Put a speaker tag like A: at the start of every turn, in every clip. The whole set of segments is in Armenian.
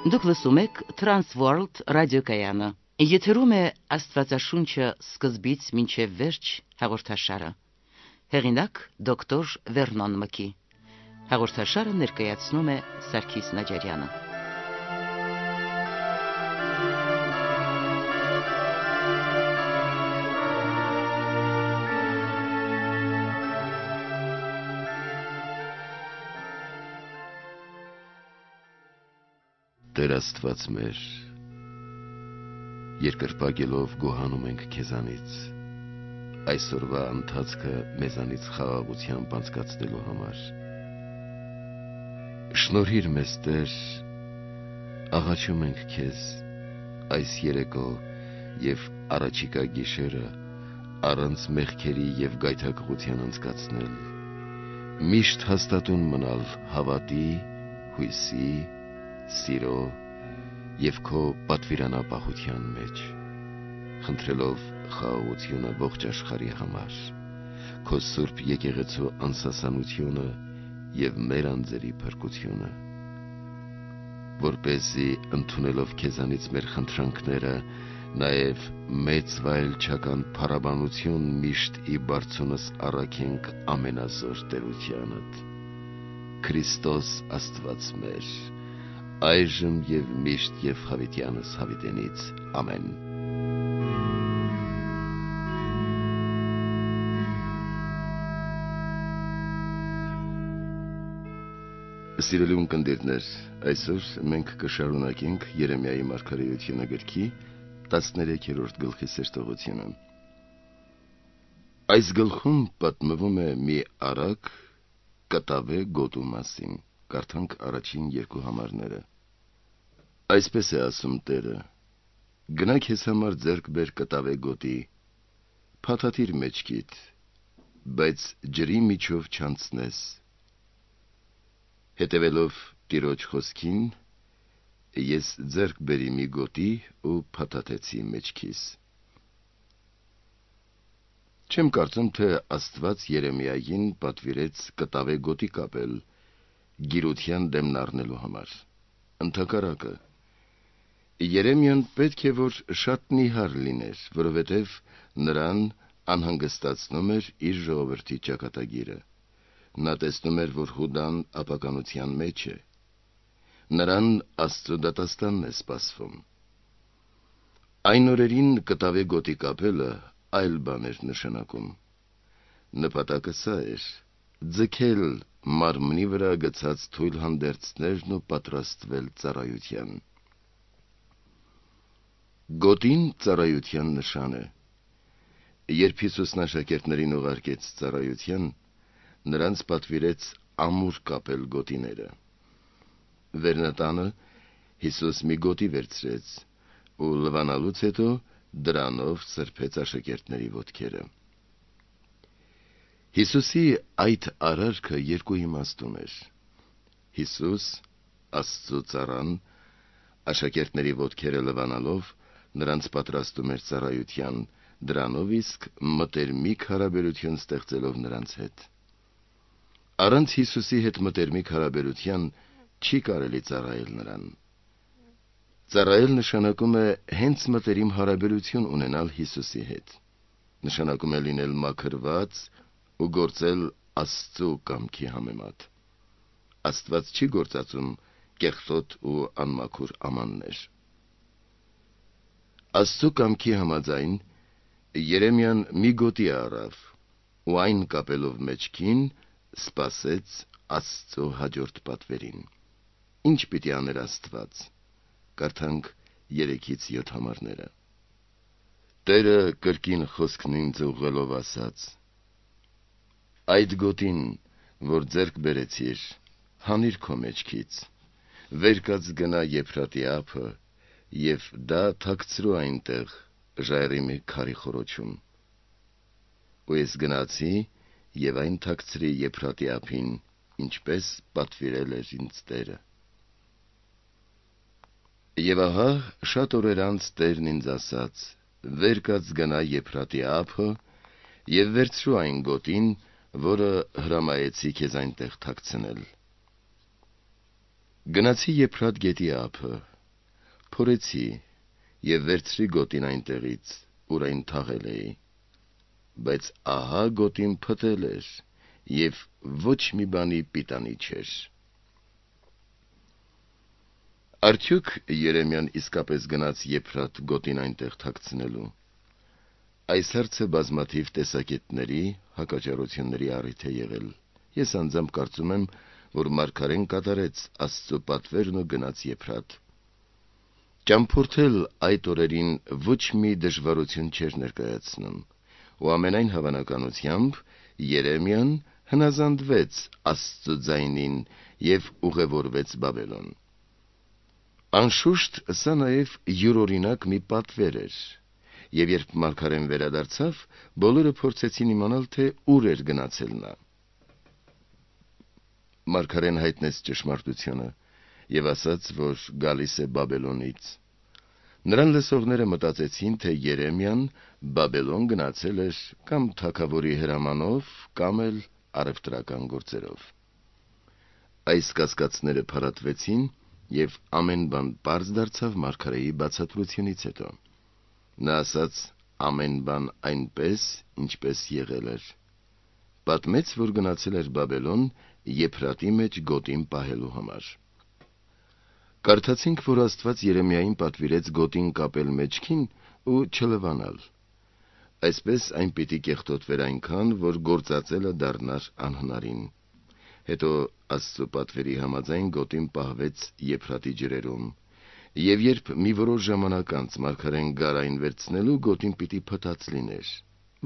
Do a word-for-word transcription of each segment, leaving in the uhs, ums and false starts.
A: Դուք լսում եք Transworld ռադիոկայանը։ Եթերում է Աստվածաշունչը սկզբից մինչև վերջ հաղորդաշարը։ Հեղինակ դոկտոր Վերնոն Մկի։ Հաղորդաշարը ներկայացնում է Սարգիս Նաջարյանը։
B: Տեր Աստված մեր, երկրպագելով գոհանում ենք քեզանից, այսօրվա ընթացքը մեզանից խաղաղությամբ անցկացնելու համար։ Շնորհիր մեզ, Տեր, աղաչում ենք քեզ այս երեկո և առաջիկա գիշերը առանց մեղքերի և գայթակղության անցկացնել, միշտ հաստատուն մնալ հավատի, հույսի, սիրո և քո պատվիրանապահության մեջ, խնդրելով խաղաղությունը ողջ աշխարհի համար, քո սուրբ եկեղեցու անսասանությունը և մեր անձերի փրկությունը, որպեսզի ընդունելով քեզանից մեր խնդրանքները, նաև մեծ վայելչական փառաբանություն միշտ ի բարձունս առաքենք ամենազոր տերությանդ, Քրիստոս Աստված մեր, այժմ և միշտ և հավիտյանս հավիտենից, ամեն։ Սիրելի ունկնդիրներ, այսօր մենք կշարունակենք Երեմիայի մարգարեությունը գրքի տասներեքերորդ գլխի սերտողությունը։ Այս գլխում պատմվում է մի արագ կտավե գոտու մասին, կարդանք առաջին երկու համարները։ Այսպես է ասում Տերը. գնա քեզ համար ձեռք բեր կտավե գոտի, փաթաթիր մեջքիդ, բայց ջրի միջով չանցնես։ Հետևելով Տիրոջ խոսքին, ես ձեռք բերի մի գոտի ու փաթաթեցի մեջքիս։ Չեմ կարծում, թե Աստված Երեմիային պատվիրեց կտավե գոտի կապել գիրության դեմն առնելու համար։ Ընդհակառակը, Երեմիան պետք է որ շատ նիհար լիներ, որովհետև նրան անհանգստացնում էր իր ժողովրդի ճակատագիրը։ Նա տեսնում էր, որ Հուդան ապականության մեջ է։ Նրան Աստծո դատաստանն է սպասվում։ Այն օրերին կտավե գոտի կապելը այլ բան էր նշանակում։ Նպատակը սա էր. ձգել մարմնի վրա գցած թույլ հանդերձներն ու պատրաստվել ծառայության։ Գոտին ծառայության նշան է։ Երբ Հիսուսն աշակերտներին ուղարկեց ծառայության, նրանց պատվիրեց ամուր կապել գոտիները։ Վերնատանը Հիսուս մի գոտի վերցրեց ու լվանալուց հետո դրանով սրբեց աշակերտների ոտքերը։ Հիսուսի այդ արարքը երկու իմաստուն էր։ Հիսուս, Աստծո ծառան, աշակերտների ոտքերը լվանալով նրանց պատրաստում էր ծառայության, դրանով իսկ մտերմիկ հարաբերություն ստեղծելով նրանց հետ։ Առանց Հիսուսի հետ մտերմիկ հարաբերության չի կարելի ծառայել նրան։ Ծառայել նշանակում է հենց մտերիմ հարաբերություն ունենալ Հիսուսի հետ։ Նշանակում է լինել մաքրված ու գործել Աստծո կամքի համեմատ։ Աստված չի գործածում կեղտոտ ու անմաքուր ամաններ։ Աստծո կամքի համաձայն Երեմիան մի գոտի առավ ու այն կապելով մեջքին սպասեց Աստծո հաջորդ պատվերին։ Ինչ պիտի աներ Աստված։ Կարդանք երեքից յոթ համարները։ Տերը կրկին խոսքն ինձ ուղղելով ասաց. այդ գոտին, որ ձեռք բերեցիր, հանիր քո մեջքից, վեր կաց գնա Եփրատի ափը և դա թաքցրու այնտեղ ժայռի մի քարի խոռոչում։ Ու ես գնացի և այն թաքցրի Եփրատի ափին, ինչպես պատվիրել էր ինձ Տերը։ Եվ ահա շատ օրեր անց Տերն ինձ ասաց. վեր կաց գնա Եփրատի ափը և վերցրու այն գոտին, որը հրամայեցի քեզ այնտեղ թաքցնել։ Գնացի Եփրատ գետի ափը փորեցի եւ վերցրի գոտին այնտեղից, ուր այն թաղել էի, բայց ահա գոտին փտել էր եւ ոչ մի բանի պիտանի չէր։ Արդյոք Երեմիան իսկապես գնաց Եփրատ գոտին այնտեղ թաքցնելու։ Այս հարցը բազմաթիվ տեսակետների հակաճառությունների առիթ է եղել։ Ես անձամբ կարծում եմ, որ մարգարեն կատարեց Աստծո պատվերն ու գնաց Եփրատ։ Ճամփորդել այդ օրերին ոչ մի դժվարություն չէր ներկայացնում, ու ամենայն հավանականությամբ Երեմիան հնազանդվեց Աստծո ձայնին եւ ուղևորվեց Բաբելոն։ Անշուշտ սա նաեւ յուրօրինակ մի պատվեր էր, եւ երբ մարգարեն վերադարձավ, բոլորը փորձեցին իմանալ, թե ուր էր գնացել նա։ Մարգարեն հայտնեց ճշմարտությունը եւ ասաց, որ գալիս է Բաբելոնից։ Նրան լսողները մտածեցին, թե Երեմիան Բաբելոն գնացել էր կամ թագավորի հրամանով, կամ էլ առևտրական գործերով։ Այս կասկածները փարատվեցին եւ ամեն բան պարզ դարձավ մարգարեի բացատրությունից հետո։ Նա ասաց ամեն բան այնպես, ինչպես եղել էր։ Պատմեց, որ գնացել էր Բաբելոն Եփրատի մեջ գոտին պահելու համար։ Կարդացինք, որ Աստված Երեմիային պատվիրեց գոտին կապել մեջքին ու չլվանալ։ Այսպես այն պիտի կեղտոտվեր այնքան, որ գործածելը դառնար անհնարին։ Հետո Աստծո պատվերի համաձայն գոտին պահվեց Եփրատի ջրերում, եւ երբ մի որոշ ժամանակ անց մարգարեն գար այն վերցնելու, գոտին պիտի փտած լիներ։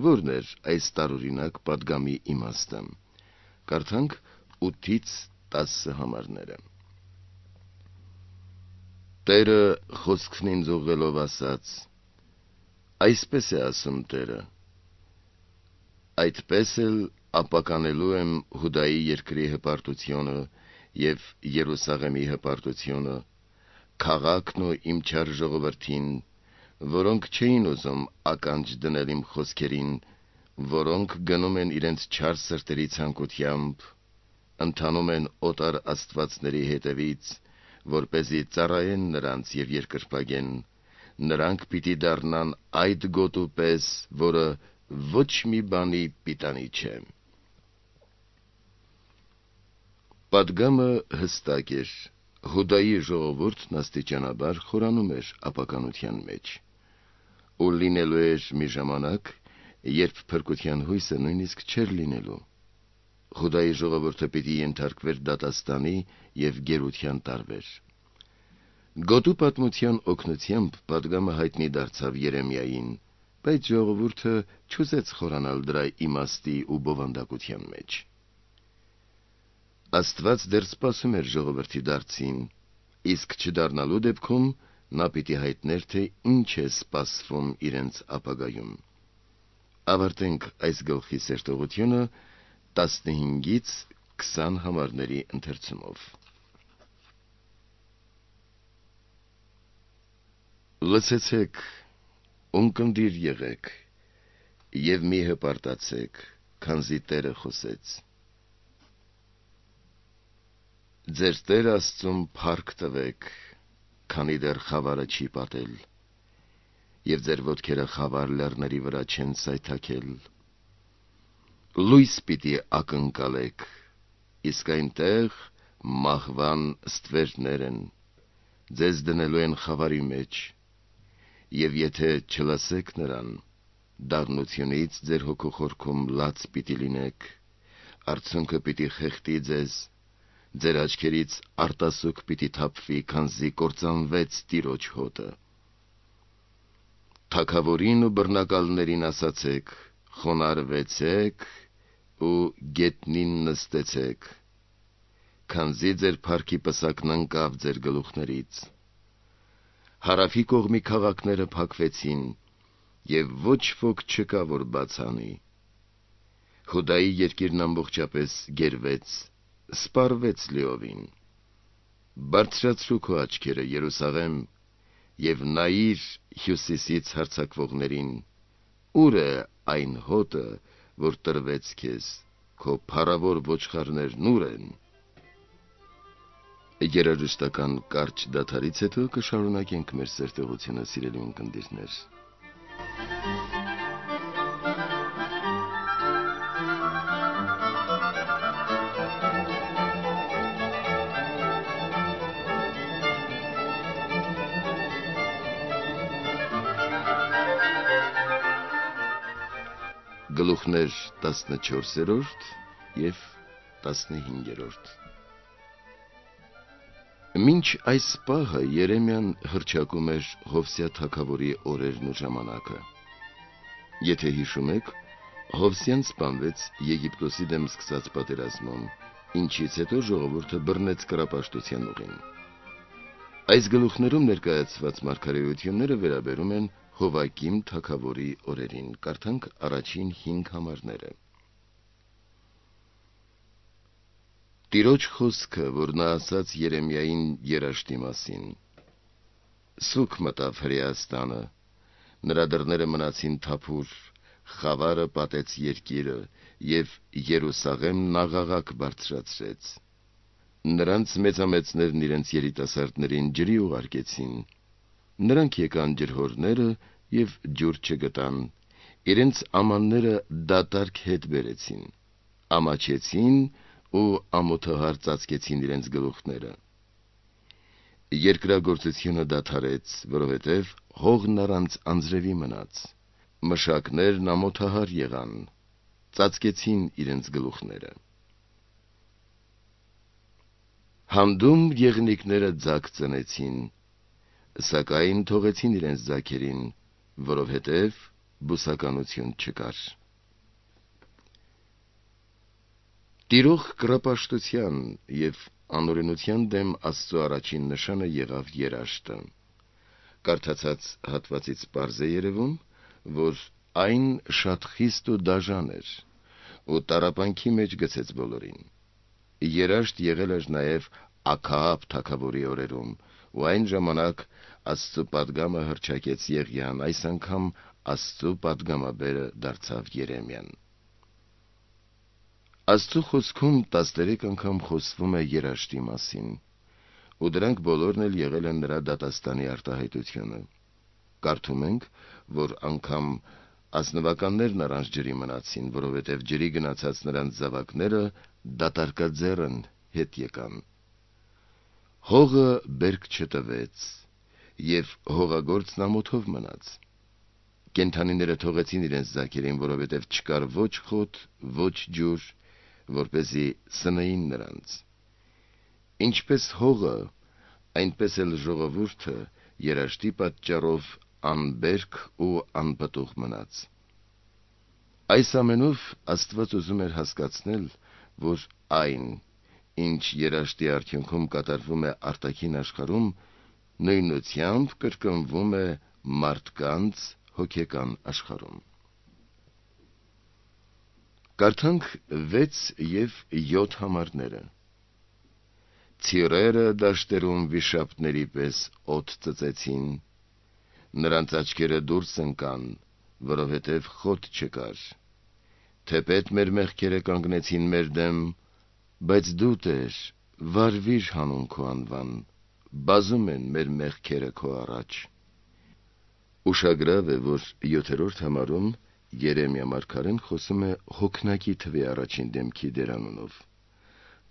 B: Որն էր այս տարօրինակ պատգամի իմաստը։ Կարդանք ութից տասը համարները։ Տերը խոսքն ինձ ուղղելով ասաց. այսպես է ասում Տերը. այդպես էլ ապականելու եմ Հուդայի երկրի հպարտությունը եւ Երուսաղեմի հպարտությունը, քաղաքն ու իմ չար ժողովրդին, որոնք չէին ուզում ականջ դնել իմ խոսքերին, որոնք գնում են իրենց չար սրտերի ցանկությամբ, ընթանում են օտար աստվածների հետևից, որպեսզի ծառայեն նրանց եւ երկրպագեն, նրանք պիտի դառնան այդ գոտու պես, որը ոչ մի բանի պիտանի չէ։ Պատգամը հստակ էր։ Հուդայի ժողովուրդն աստիճանաբար խորանում էր ապականության մեջ, ու լինելու էր մի ժամանակ, երբ փրկության հույսը նույնիսկ չէր լինելու։ Հուդայի ժողովուրդը պիտի ենթարկվեր դատաստանի եւ գերության տարվեր։ Գոտու պատմության օգնությամբ պատգամը հայտնի դարձավ Երեմիային, բայց ժողովուրդը չուզեց խորանալ դրա իմաստի ու բովանդակության մեջ։ Աստված դեռ սպասում էր ժողովրդի դարձին, իսկ չդառնալու դեպքում նա պիտի հայտներ, թե ինչ է սպասվում իրենց ապագայում։ Ավարտենք այս գլխի սերտողությունը տասնհինգից քսան համարների ընթերցումով։ Լսեցեք, ունկնդիր եղեք, եւ մի հպարտացեք, քանզի Տերը խոսեց։ Ձեր Տեր Աստծուն փառք տվեք, քանի դեռ խավարը չի պատել, եւ ձեր ոտքերը խավար լեռների վրա չեն սայթաքել։ Լույս պիտի ակնկալեք, իսկ այնտեղ մահվան ստվերներ են, ձեզ դնելու են խավարի մեջ, եւ եթե չլսեք նրան, դառնությունից ձեր հոգու խորքում լաց պիտի լինեք, արցունքը պիտի խեղդի ձեզ, ձեր աչքերից արտասուք պիտի թափվի, քանզի կործանվեց Տիրոջ հոտը։ Թագավորին ու բռնակալներին ասացեք, խոնարհվեցեք ու գետնին նստեցեք, քանզի ձեր փառքի պսակն ընկավ ձեր գլուխներից։ Հարավի կողմի քաղաքները փակվեցին, եւ ոչ ոք չկա, որ բաց անի։ Հուդայի երկիրն ամբողջապես գերվեց, սպառվեց լիովին։ Բարձրացրու քո աչքերը, Երուսաղեմ, եւ նայիր հյուսիսից հարձակվողներին, ուր է այն հոտը, որ տրվեց քեզ, քո փառավոր ոչխարներն ուր են։ Երաժշտական կարճ դադարից հետո կշարունակենք մեր սերտեղությունը, սիրելի ունկնդիրներ։ Գլուխներ տասնչորսերորդ և տասնհինգերորդ։ Մինչ այս պահը Երեմիան հռչակում էր Հովսյա թագավորի օրերն ու ժամանակը։ Եթե հիշում եք, Հովսյան սպանվեց Եգիպտոսի դեմ սկսած պատերազմում, ինչից հետո ժողովուրդը բռնեց կռապաշտության ուղին։ Այս գլուխներում ներկայացված մարգարեությունները վերաբերում են Հովակիմ թագավորի օրերին։ Կարդանք առաջին հինգ համարները։ Տիրոջ խոսքը, որ նա ասաց Երեմիային երաշտի մասին։ Սուք մտավ Հրեաստանը, նրա դռները մնացին թափուր, խավարը պատեց երկիրը, և Երուսաղեմն աղաղակ բարձրացրեց։ Նրանց մեծամեծներն իրենց երիտասարդներին ջրի ուղարկեցին, նրանք եկան ջրհորները և ջուր չգտան, իրենց ամանները դատարկ հետ բերեցին, ամաչեցին ու ամոթահար ծածկեցին իրենց գլուխները։ Երկրագործությունը դադարեց, որովհետև հողն առանց անձրևի մնաց, մշակներն ամոթահար եղան, ծածկեցին իրենց գլուխները։ Հանդում եղնիկները ձագ ծնեցին, սակայն թողեցին իրենց ձագերին, որովհետև բուսականություն չկար։ Տիրող կռապաշտության և անօրենության դեմ Աստծո առաջին նշանը եղավ երաշտը։ Կարդացած հատվածից պարզ է երևում, որ այն շատ խիստ ու դաժան էր, ու տառապանքի մեջ գցեց բոլորին։ Երաշտ եղել էր նաև Աքաաբ թագավորի օրերում, ու այն ժամանակ Աստծո պատգամը հռչակեց Եղիան, այս անգամ Աստծո պատգամաբերը դարձավ Երեմիան։ Աստծո խոսքում տասներեք անգամ խոսվում է երաշտի մասին, ու դրանք բոլորն էլ եղել են նրա դատաստանի արտահայտությունը։ Կարդում ենք, որ անգամ ազնվականներն առանց ջրի մնացին, որովհետև ջրի գնացած նրանց զավակները դատարկաձեռն հետ եկան։ Հողը բերք չտվեց, և հողագործն ամոթով մնաց։ Կենդանիները թողեցին իրենց ձագերին, որովհետև չկար ոչ խոտ, ոչ ջուր, որպեսզի սնեին նրանց։ Ինչպես հողը, այնպես էլ ժողովուրդը երաշտի պատճառով անբերք ու անպտուղ մնաց։ Այս ամենով Աստված ուզում էր հասկացնել, որ այն, ինչ երաշտի արդյունքում կատարվում է արտաքին աշխարհում, նույնությամբ կրկնվում է մարդկանց հոգեկան աշխարհում։ Կարդանք վեց և յոթ համարները։ Ցիրերը դաշտերում վիշապների պես օդ ծծեցին, նրանց աչքերը դուրս ընկան, որովհետև խոտ չկար։ Թեպետ մեր մեղքերը կանգնեցին մեր դեմ, բայց դու, Տեր, վարվիր հանուն քո անվան, բազում են մեր մեղքերը քո առաջ։ Ուշագրավ է, որ յոթերորդ համարում Երեմիա մարգարեն խոսում է հոգնակի թվի առաջին դեմքի դերանունով։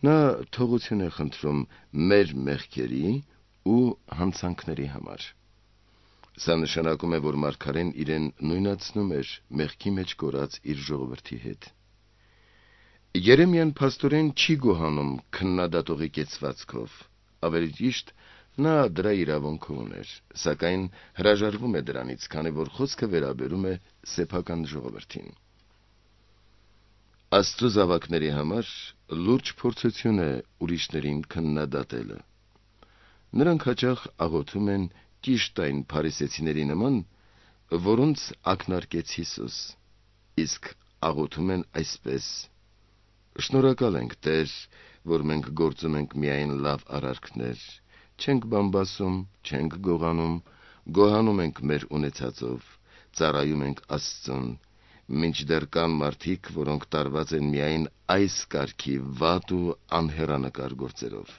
B: Նա թողություն է խնդրում մեր մեղքերի ու հանցանքների համար։ Սա նշանակում է, որ մարգարեն իրեն նույնացնում էր մեղքի մեջ կորած իր ժողովրդի հետ։ Երեմիան փաստորեն չի գոհանում քննադատողի կեցվածքով, ավելի ճիշտ, նա դրա իրավունքը ուներ, սակայն հրաժարվում է դրանից, քանի որ խոսքը վերաբերում է սեփական ժողովրդին։ Աստծո զավակների համար լուրջ փորձություն է ուրիշներին քննադատելը։ Նրանք հաճախ աղոթում են ճիշտ այն փարիսեցիների նման, որոնց ակնարկեց Հիսուս, իսկ աղոթում են այսպես. «Շնորհակալ ենք, Տեր, որ մենք գործում ենք միայն լավ արարքներ, չենք բամբասում, չենք գողանում, գոհանում ենք մեր ունեցածով, ծառայում ենք Աստծուն, մինչդեռ կան մարդիկ, որոնք տարված են միայն այս կարգի վատ ու անհեռանկար գործերով»։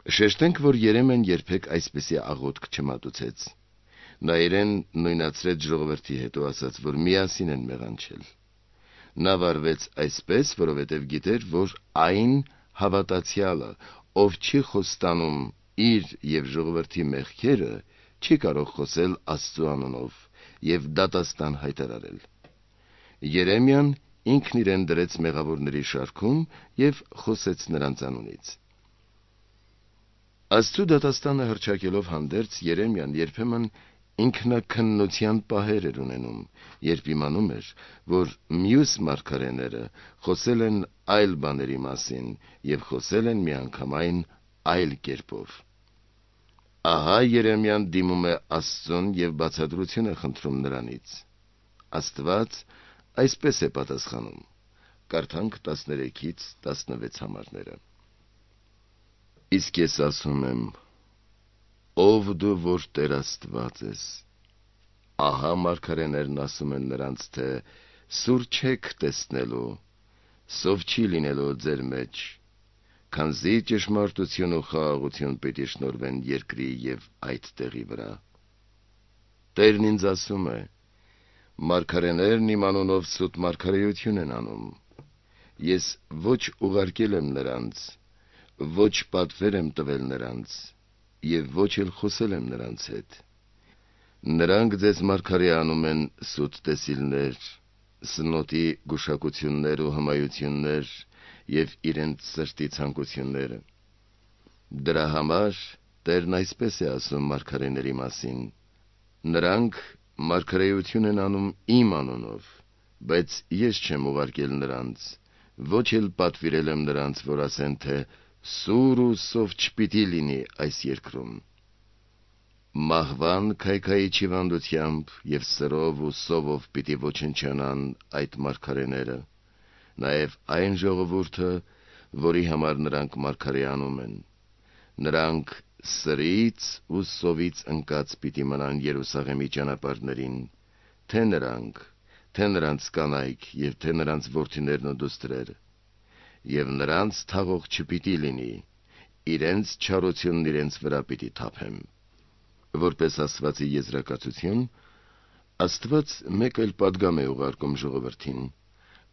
B: Շեշտենք, որ Երեմիան երբեք այսպեսի աղոթք չմատուցեց։ Նա իրեն նույնացրեց ժողովրդի հետ ու ասաց, որ միասին են մեղանչել։ Նա վարվեց այսպես, որովհետև գիտեր, որ այն հավատացյալը, ով չի խոստանում իր եւ ժողովրդի մեղքերը, չի կարող խոսել Աստծու անունով եւ դատաստան հայտարարել։ Երեմիան ինքն իրեն դրեց մեղավորների շարքում եւ խոսեց նրանց անունից։ Աստծու դատաստանը հռչակելով հանդերձ, Երեմիան երբեմն ինքնաքննության պահեր էր ունենում, երբ իմանում էր, որ մյուս մարգարեները խոսել են այլ բաների մասին եւ խոսել են միանգամայն այլ կերպով։ Ահա Երեմիան դիմում է Աստծուն եւ բացատրություն է խնդրում նրանից։ Աստված այսպես է պատասխանում։ Կարդանք տասներեքից տասնվեց համարները։ Իսկ ես ասում եմ. ով դու, որ Տեր Աստված ես։ Ահա մարգարեներն ասում են նրանց, թե սուր չեք տեսնելու, սով չի լինելու ձեր մեջ, քանզի ճշմարտություն ու խաղաղություն պիտի շնորհվեն երկրի եւ այդ տեղի վրա։ Տերն ինձ ասում է. մարգարեներն իմ անունով սուտ մարգարեություն են անում։ Ես ոչ ուղարկել եմ նրանց, ոչ պատվեր եմ տվել նրանց, եւ ոչ էլ խոսել եմ նրանց հետ։ Նրանք ձեզ մարգարե անում են սուտ տեսիլներ, սնոտի գուշակություններ ու հմայություններ եւ իրենց սրտի ցանկությունները։ Դրա համար Տերն այսպես է ասում մարգարեների մասին. նրանք մարգարեություն են անում իմ անունով, բայց ես չեմ ուղարկել նրանց, ոչ էլ պատվիրել եմ նրանց, որ ասեն, թե սուր ու սով չպիտի լինի այս երկրում։ Մահվան քայքայի չիվանդությամբ եւ սրով ու սովով պիտի ոչնչանան այդ մարգարեները, նաեւ այն ժողովուրդը, որի համար նրանք մարգարե անում են։ Նրանք սրից ու սովից ընկած պիտի մնան Երուսաղեմի ճանապարհներին, թե նրանք, թե նրանց կանայք եւ թե նրանց որդիներն ու դուստրերը, եւ նրանց թաղող չպիտի լինի, իրենց չարությունն իրենց վրա պիտի թափեմ։ Որպես ասվածի եզրակացություն, Աստված մեկ այլ պատգամ է ուղարկում ժողովրդին։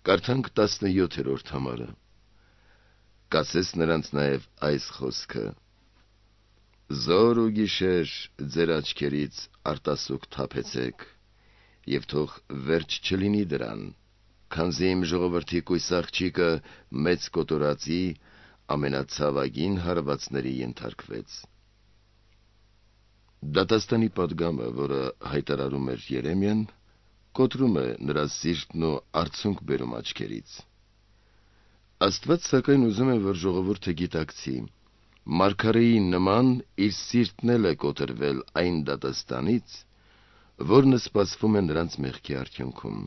B: Կարդանք տասնյոթերորդ համարը։ Կասես նրանց նաև այս խոսքը. Զոր ու գիշեր ձեր աչքերից արտասուք թափեցեք, եւ թող վերջ չլինի դրան, քանզի իմ ժողովրդի կույս աղջիկը մեծ կոտորածի ամենացավագին հարվածների ենթարկվեց։ Դատաստանի պատգամը, որը հայտարարում էր Երեմիան, կոտրում է նրա սիրտն ու արցունք բերում աչքերից։ Աստված սակայն ուզում է, որ ժողովուրդը գիտակցի, մարգարեի նման իր սիրտն էլ է կոտրվել այն դատաստանից, որն սպասվում է նրանց մեղքի արդյունքում։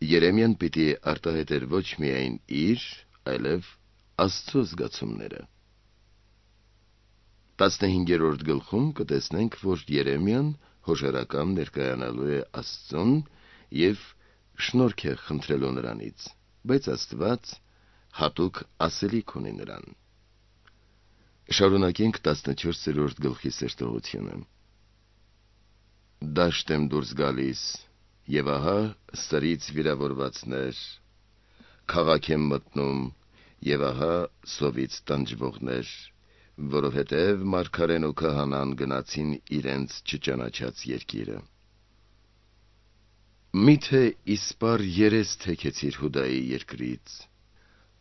B: Երեմիան պիտի արտահայտեր ոչ միայն իր, այլև Աստծո զգացումները։ տասնհինգերորդ գլխում կտեսնենք, որ Երեմիան հոժարական ներկայանալու է Աստծուն եւ շնորհք է խնդրելու նրանից, բայց Աստված հատուկ ասելիք ունի նրան։ Շարունակենք տասնչորսերորդ գլխի սերտողությունը։ Դաշտ եմ դուրս գալիս, եւ ահա սրից վիրավորվածներ, քաղաք եմ մտնում, եւ ահա սովից տանջվողներ, որովհետև մարգարեն ու քահանան գնացին իրենց չճանաչած երկիրը։ Միթե իսպար երես թեքեցիր Հուդայի երկրից,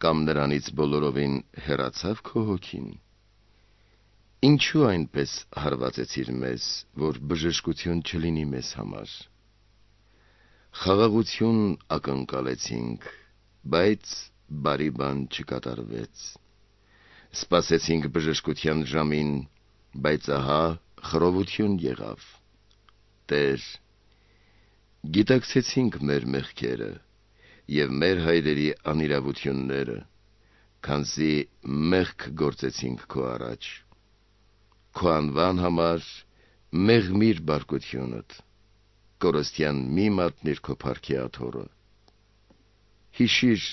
B: կամ նրանից բոլորովին հեռացավ քո հոգին։ Ինչու այնպես հարվածեցիր մեզ, որ բժշկություն չլինի մեզ համար։ Խաղաղություն ակնկալեցինք, բայց բարի բան չկատարվեց։ Սպասեցինք բժշկության ժամին, բայց ահա խռովություն եղավ։ Տեր, գիտակցեցինք մեր մեղքերը եւ մեր հայրերի անիրավությունները, քանզի մեղք գործեցինք քո առաջ։ Քո անվան համար մեղմիր բարկությունդ, կորստյան մի մատնիր քո փառքի աթոռը։ Հիշիր,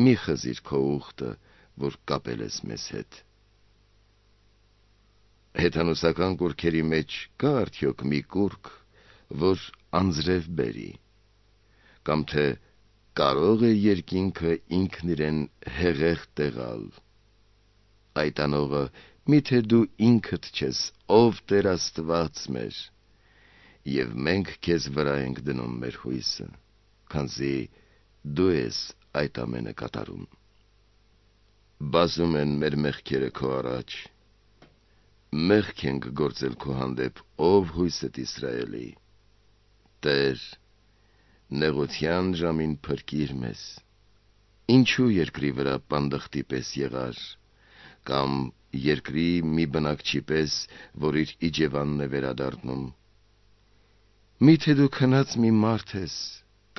B: մի խզիր քո ուխտը, որ կապել ես մեզ հետ։ Հեթանոսական կուրքերի մեջ կա արդյոք մի կուրք, որ անձրև բերի, կամ թե կարող է երկինքը ինքն իրեն հեղեղ տեղալ։ Այդ անողը միթե դու ինքդ չես, ով Տեր Աստված մեր, եւ մենք քեզ վրա ենք դնում մեր հույսը, քանզի դու ես այդ ամենը կատարում։ Բազում են մեր մեղքերը քո առաջ, մեղք ենք գործել քո հանդեպ, ով հույսդ Իսրայելի։ Տեր, նեղության ժամին փրկիր մեզ, ինչու երկրի վրա պանդխտի պես եղար, կամ երկրի մի բնակչի պես, որ իր իջևանն է վերադառնում։ Միթե դու քնած մի մարդ ես,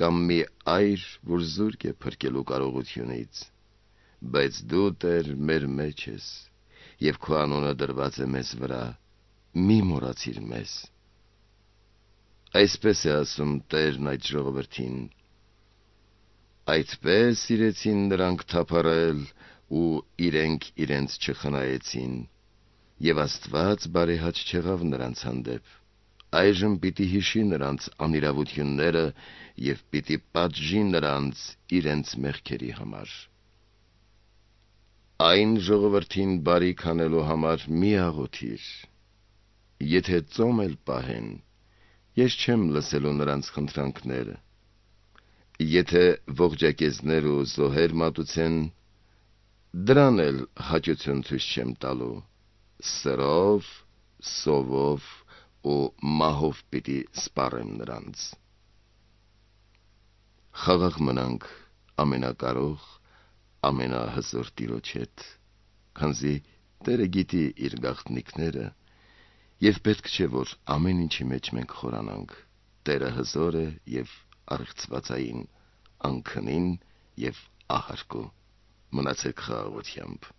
B: կամ մի այր, որ զուրկ է փրկելու կարողությունից, բայց դու Տեր մեր մեջ ես, եւ քո անունը դրված է մեզ վրա, մի մոռացիր մեզ։ Այսպես է ասում Տերն այդ ժողովրդին. այդպես իրեցին նրանք թափառել ու իրենք իրենց չխնայեցին, եւ Աստված բարեհաճ չեղավ նրանց հանդեպ, այժմ պիտի հիշի նրանց անիրավությունները եւ պիտի պատժի նրանց իրենց մեղքերի համար։ Այն ժողովրդին բարիք անելու համար մի աղոթիր, եթե ծոմ էլ պահեն, ես չեմ լսելու նրանց խնդրանքները, եթե ողջակեզներ ու զոհեր մատուցեն, դրան էլ հաճություն ցույց չեմ տալու, սրով, սովով ու մահով պիտի սպառեմ նրանց։ Խաղաղ մնանք ամենակարող, ամենահզոր Տիրոջ հետ, քանզի Տերը գիտի իր գաղտնիքները, եւ պետք չէ, որ ամեն ինչի մեջ մենք խորանանք։ Տերը հզոր է եւ առեղծվածային, անքնին եւ ահարկու։ Մնացեք խաղաղությամբ։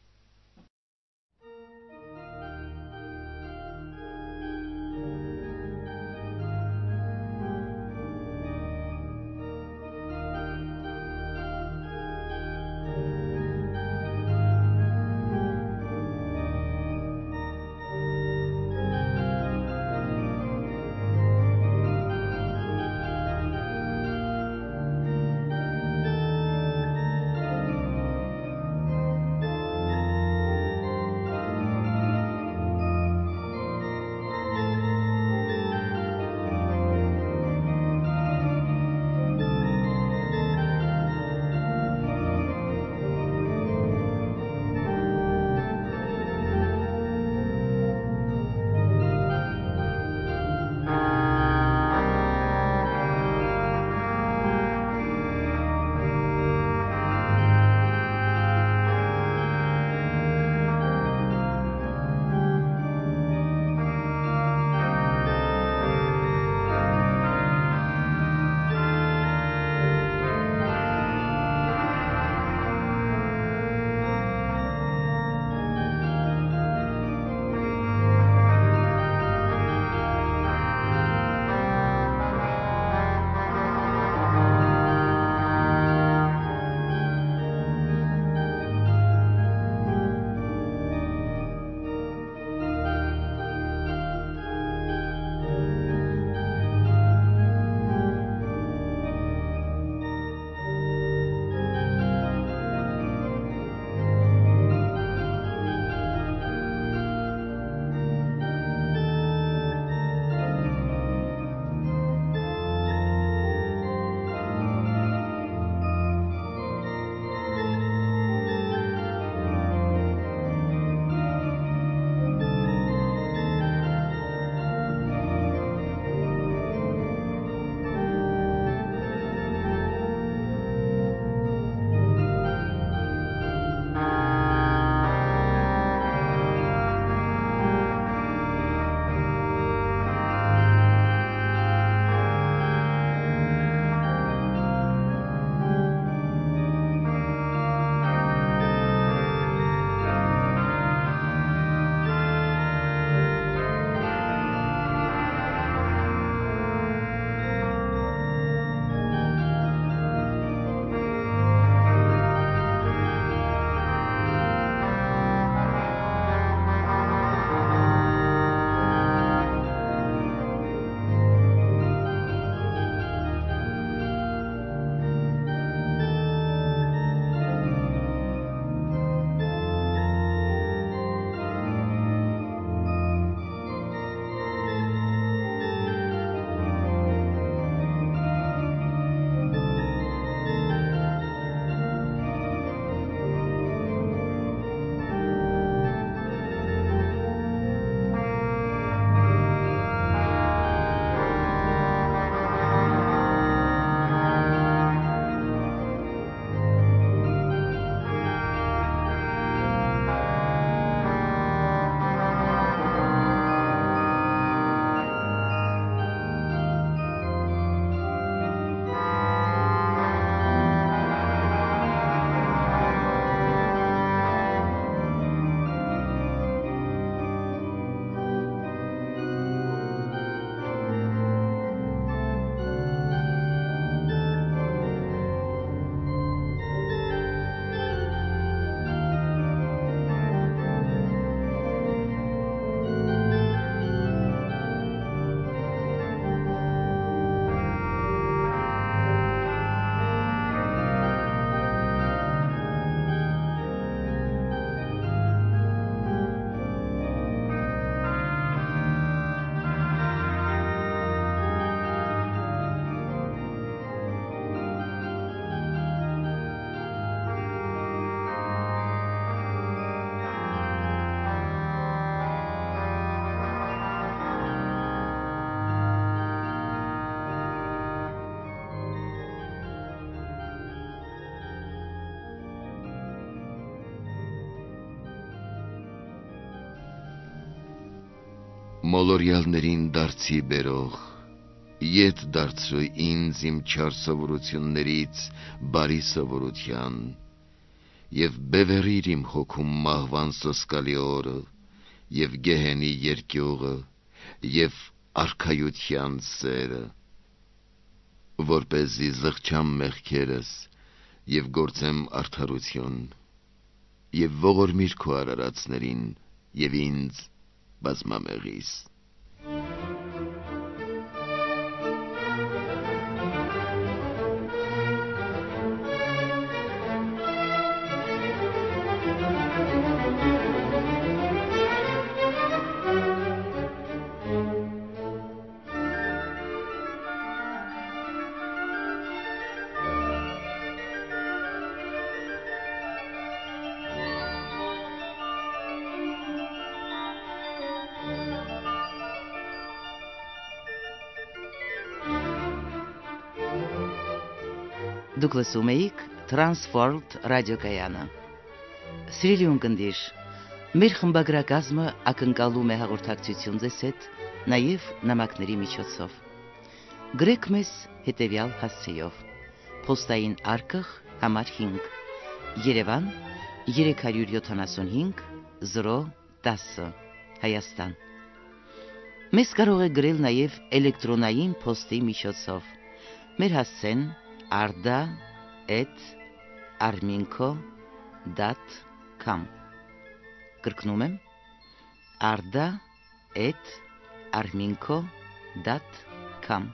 B: մոլորյալներին դարձի բերող, ետ դարձրու ինձ իմ չար սովորություններից բարի սովորության, և բևեռիր իմ հոգում մահվան սոսկալի օրը, և գեհենի երկյուղը, և արքայության սերը, որպեսզի զղջամ մեղքերս և գործեմ արդարություն, և ողորմիր քո արարածներին և ինձ բազմամեղիս։
A: Դուք լսում էիք Transworld ռադիոկայանը։ Սիրելի ունկնդիր, մեր խմբագրակազմը ակնկալում է հաղորդակցություն ձեզ հետ նաև նամակների միջոցով։ Գրեք մեզ հետևյալ հասցեով. Պոստային արկղ համար հինգ, Երևան երեք յոթանասունհինգ զրո տասը, Հայաստան։ Մեզ կարող եք գրել նաև էլեկտրոնային փոստի միջոցով։ Մեր հասցեն arda at arminco dot com Կրկնում եմ arda at arminco dot com